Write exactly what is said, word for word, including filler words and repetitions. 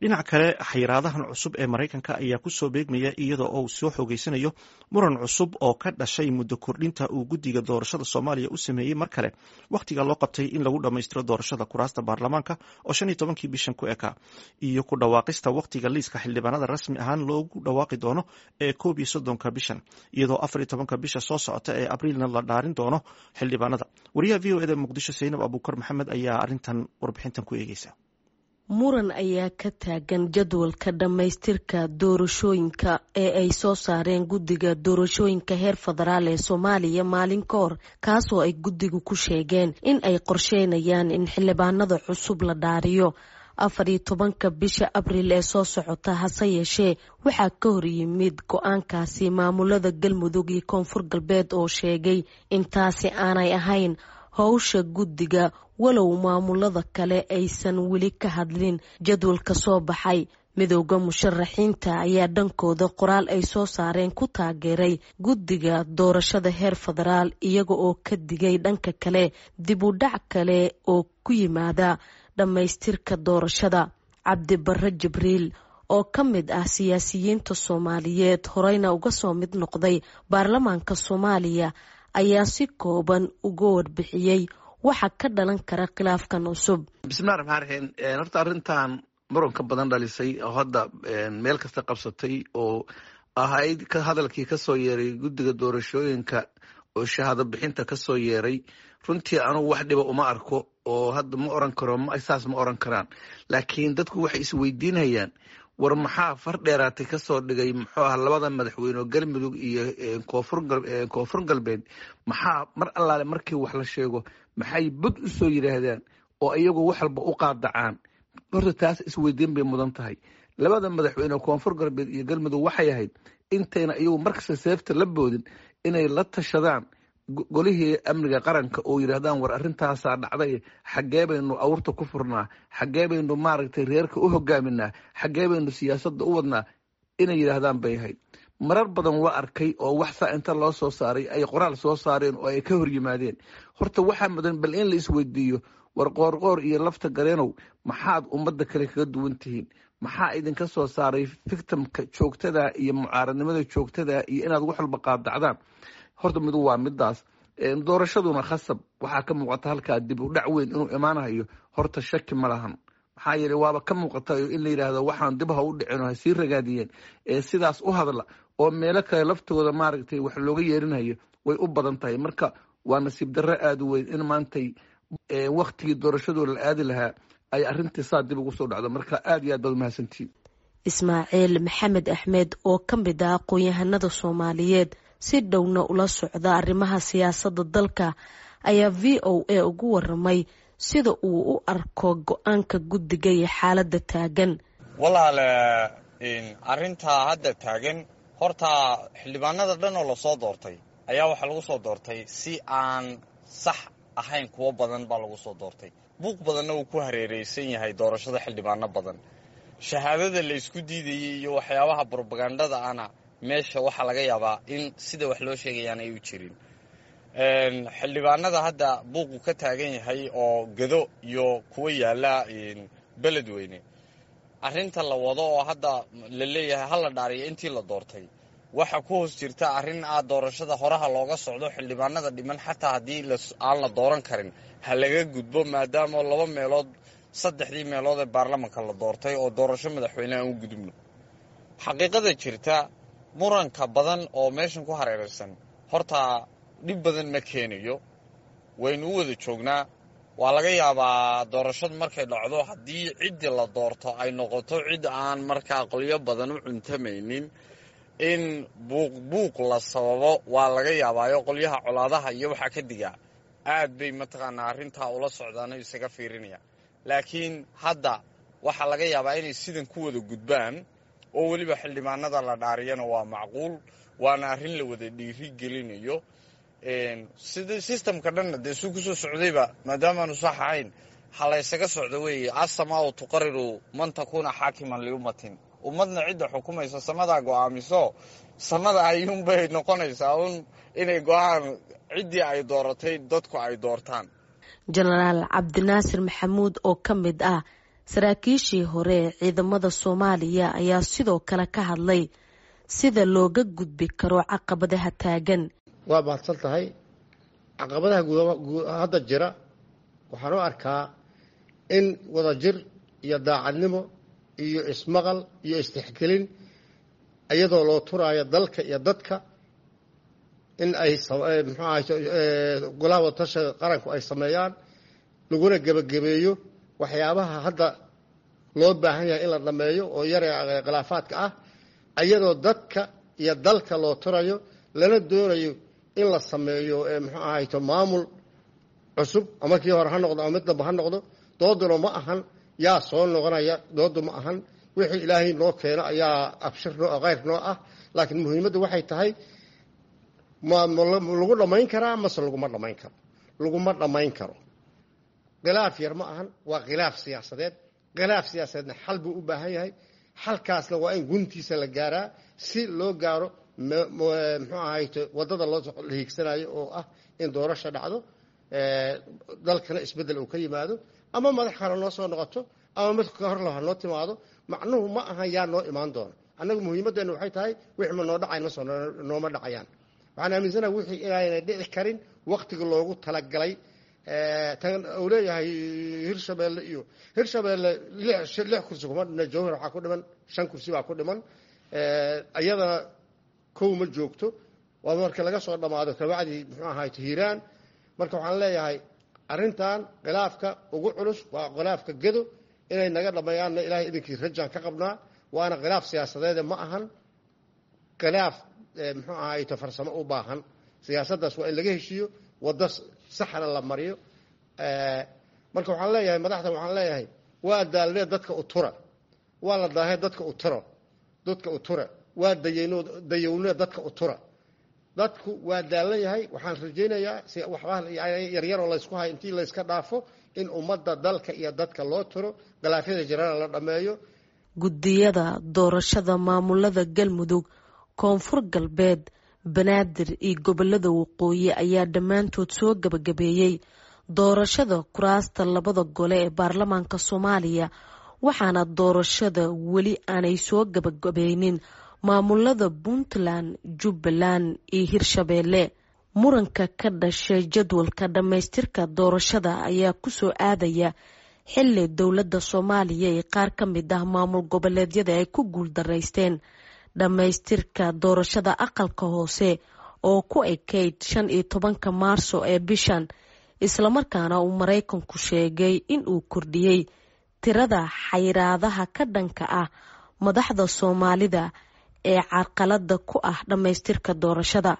Dhinaca kale, xayiraadahan cusub ee Maraykanka ayaa kusoo beegmaya iyadoo uu soo xoogeysanayo muran cusub oo ka dhashay muddo kordhinta uu guddiga doorashada Soomaaliya u sameeyey mar kale wakhtiga loo qabtay in lagu dhammaystiro doorashada kuraasta baarlamaanka oo shan iyo tobankii bishan ku ekaa, iyo ku dhawaaqista wakhtiga liiska xildhibaanada rasmi ahaan loogu dhawaaqi doono ee koob iyo soddonka bishan, iyadoo afar iyo tobanka bisha soo socota ee Abriilna la dhaarin doono xildhibaanada. Wariyaha V O E da Muqdisho, Saynab Abuukar Maxamed, ayaa arrintan warbixintan ku eegeysa. Muran ayaa ka taagan jadwalka dhammaystirka doorashooyinka ee ay soo saareen guddiga doorashooyinka heer federaal ee Soomaaliya maalin ka hor, kaasoo ay guddigu ku sheegeen in ay qorsheynayaan in xildhibaanada cusub la dhaariyo afar iyo tobanka bisha Abriil ee soo socota. Hase yeeshee, waxaa ka hor yimid go-aankaasi maamulada Galmudug iyo Koonfur Galbeed oo sheegay in taasi aanay ahayn howsha guddiga, walow maamulada kale aysan weli ka hadlin jadwalka soo baxay. Midooda musharaxiinta ayaa dhankooda qoraal ay soo saareen ku taageeray guddiga doorashada heer federaal, iyaga oo ka digay dhanka kale dib u dhac kale oo ku yimaada dhammaystirka doorashada. Cabdibare Jibriil oo ka mid ah siyaasiyiinta Soomaaliyeed, horeyna uga soo mid noqday baarlamaanka Soomaaliya, ayaa si kooban uga warbixiyey waxa ka dhalan kara khilaafkan cusub. Bismillahi raxmaan raxiim. Horta arrintan muranka badan dhalisay oo hadda meel kasta qabsatay oo ahayd ka hadalkii kasoo yeeray guddiga doorashooyinka oo shahaado bixinta kasoo yeeray, runtii anugu wax dhiba uma arko oo hadda ma oran karo, saas ma oran karaan, laakiin dadku waxay isweydiinayaan: war maxaa far dheeraatay kasoo dhigay, muxuu ah, labada madaxweyne oo Galmudug iyo koonfur koonfur Galbeed? Maxaa mar allaale markii wax la sheego maxay bud u soo yidhaahdaan oo iyagu wax walba u qaadacaan? Horta taas isweydiin bay mudan tahay. Labada madaxweyne oo Koonfur Galbeed iyo Galmudug waxay ahayd intayna iyagu markasta seefta la boodin inay la tashadaan Golihii Amniga Qaranka oo yidhaahdaan: war, arrintaasaa dhacday, xaggee baynu awrta ku furnaa? Xaggee baynu, maaragtay, reerka u hogaaminaa? Xaggee baynu siyaasadda u wadnaa? Inay yidhaahdaan bay ahayd. Marar badan waa arkay oo wax saa inta loo soo saaray ay qoraal soo saareen oo ay ka hor yimaadeen. Horta waxaa mudan bal in la isweydiiyo: war, Qoorqoor iyo Lafta Gareenow, maxaad ummadda kale kaga duwan tihiin? Maxaa idinka soo saaray victimka joogtada iyo mucaaradnimada joogtada iyo inaad wax walba qaadacdaan? Horta midu waa midaas. Doorashaduna khasab waxaa ka muuqata halkaa dib u dhac weyn inuu imaanayo, horta shaki ma lahan. Maxaa yeele, waaba ka muuqata in la yidhaahdo waxaan dib ha u dhicin oo ha sii ragaadiyeen ee sidaas u hadla oo meelo kale laftooda, maaragtay, wax looga yeerinayo way u badan tahay. Marka waa nasiib darro aada u weyn in maantay waktigii doorashadoo la aadi lahaa ay arrintii saa dib ugu soo dhacdo. Marka aad iyo aad baad umahadsantihiin. Ismaaciil Maxamed Axmed oo ka mid ah aqoon-yahanada Soomaaliyeed, si dhowna ula socda arrimaha siyaasadda dalka, ayaa V O A ugu waramay sida uu u arko go-aanka guddiga iyo xaaladda taagan. Walaale, arrintaa hadda taagan, horta xildhibaanada dhan oo lasoo doortay ayaa waxaa lagu soo doortay si aan sax ahayn. Kuwo badan baa lagu soo doortay, buuq badanna uu ku hareereysan yahay doorashada xildhibaano badan. Shahaadada la isku diidayay iyo waxyaabaha brobagandada ana meesha waxaa laga yaabaa in sida wax loo sheegayaan ay u jirin. Xildhibaanada hadda buuqu ka taagan yahay oo Gado iyo kuwa yaalla Beledweyne, arrinta la wado oo hadda la leeyahay ha la dhaariyo intii la doortay, waxa ku hoos jirta arrin ah doorashada horaha looga socdo, xildhibaanada dhiman xataa haddii aan la dooran karin ha laga gudbo, maadaama laba meelood saddexdii meelood ee baarlamanka la doortay oo doorasho madaxweyne aan u gudubno. Xaqiiqada jirta, muranka badan oo meeshan ku hareeraysan horta dhib badan ma keenayo, waynu u wada joognaa. Waa laga yaabaa doorashadu markay dhacdo, haddii ciddii la doorto ay noqoto cid aan markaa qolyo badan u cuntamaynin, in buuq buuq la sababo. Waa laga yaabaayo qolyaha colaadaha iyo waxaa ka digaa aad bay, mataqaanaa, arrintaa ula socdaano isaga fiirinaya. Laakiin hadda waxaa laga yaabaa inay sidan ku wada gudbaan oo weliba xildhibaanada la dhaariyana waa macquul, waana arrin la wada dhiiri gelinayo. Sida systemka dhanna dee suu kusoo socdayba, maadaamaanu sax ahayn, ha la ysaga socdo weeye. Asamaau tuqariru man takuuna xaakiman liummatin, ummadna cidda xukumaysa samadaa go'aamiso, samada ayuunbay noqonaysaa un inay go-aan ciddii ay dooratay dadku ay doortaan. Jenaraal Cabdinaasir Maxamuud oo ka mid ah Saraakiishii hore ee ciidamada Soomaaliya ayaa sidoo kale ka hadlay sida looga gudbi karo caqabadaha taagan. Waa mahadsan tahay. Caqabadaha hadda jira waxaan u arkaa in wadajir iyo daacadnimo iyo ismaqal iyo istixgelin iyadoo loo turaayo dalka iyo dadka in ay muxuu ahay golaha wadatashiga qaranku ay sameeyaan, laguna gebagabeeyo waxyaabaha hadda loo baahan yahay in la dhameeyo oo yara khilaafaadka ah, iyadoo dadka iyo dalka loo turayo, lana doonayo in la sameeyo muxuu ahayto maamul cusub, ama kii hore ha noqdo ama mid damba ha noqdo. Dooduna ma ahan yaa soo noqonaya, doodu ma ahan wixii ilaahay noo keeno ayaa abshir noo khayr noo ah, laakiin muhiimaddu waxay tahay ma lagu dhammayn karaa mase laguma dhammayn karo? Laguma dhammayn karo. Khilaaf yar ma ahan, waa khilaaf siyaasadeed. Khilaaf siyaasadeedna xal buu u baahan yahay, xalkaasna waa in guntiisa la gaaraa si loo gaaro muxuu ahayto waddada loo hiigsanayo oo ah in doorasha dhacdo, dalkana isbeddel uu ka yimaado, ama madax kale noo soo noqoto ama mid ka hor ha noo timaado. Macnuhu ma ahan yaa noo imaan doona. Annagu muhiimaddeenu waxay tahay wixii ma noo dhacay masoo nooma dhacayaan. Waxaan aaminsanaha wixii inaanay dhici karin waktiga loogu talagalay. Tan uu leeyahay Hirshabeelle iyo Hirshabeelle lix kursi kuma dhina, Jowhar waxaa ku dhiman shan kursi baa ku dhiman, iyadana kow ma joogto, waa marka laga soo dhammaado kabacdii muxuu ahaay Hiiraan. Marka waxaan leeyahay arrintan khilaafka ugu culus waa khilaafka Gedo, inay naga dhammeeyaanna ilaahay idinkii rajaan ka qabnaa. Waana khilaaf siyaasadeede, ma ahan khilaaf muxuu ahayto farsamo u baahan. Siyaasaddaas waa in laga heshiiyo, waddo saxna la mariyo. Marka waxaan leeyahay madaxda, waxaan leeyahay waa daalnee dadka u tura, waa la daahee dadka u turo, dadka u tura, waa dayayno dayownee dadka u tura. Dadku waa daalan yahay. Waxaan rajaynayaa si waxbaa yaryaroo laysku hayo intii layska dhaafo in ummadda dalka iyo dadka loo turo, khilaafyada jirana la dhammeeyo. Guddiyada doorashada maamulada Galmudug, Koonfur Galbeed, Banaadir iyo gobolada Waqooyi ayaa dhammaantood soo gabagabeeyey doorashada kuraasta labada gole ee baarlamaanka Soomaaliya, waxaana doorashada weli aanay soo gabagabeynin maamulada Puntland, Jubbaland iyo Hirshabeelle. Muranka ka dhashay jadwalka dhammaystirka doorashada ayaa kusoo aadaya xilli dowladda Soomaaliya iyo qaar ka mid ah maamul goboleedyada ay ku guuldaraysteen dhammaystirka doorashada aqalka hoose oo ku ekayd shan iyo tobanka Maarso ee bishan, islamarkaana uu Maraykanku sheegay in uu kordhiyey tirada xayiraadaha ka dhanka ah madaxda Soomaalida ee carqalada ku ah dhammaystirka doorashada.